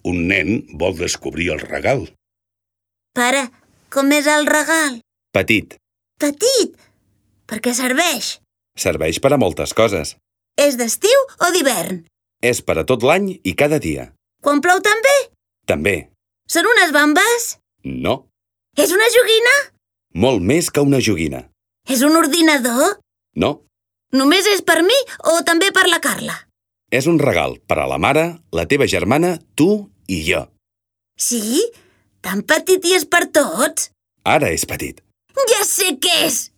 Un nen vol descobrir el regal. Pare, com és el regal? Petit. Petit? Per què serveix? Serveix per a moltes coses. És d'estiu o d'hivern? És per a tot l'any i cada dia. Quan plou també? També. Són unes bambes? No. És una joguina? Molt més que una joguina. És un ordinador? No. Només és per mi o també per la Carla? És un regal per a la mare, la teva germana, tu i jo. Sí? Tan petit i és per tots? Ara és petit. Ja sé què és!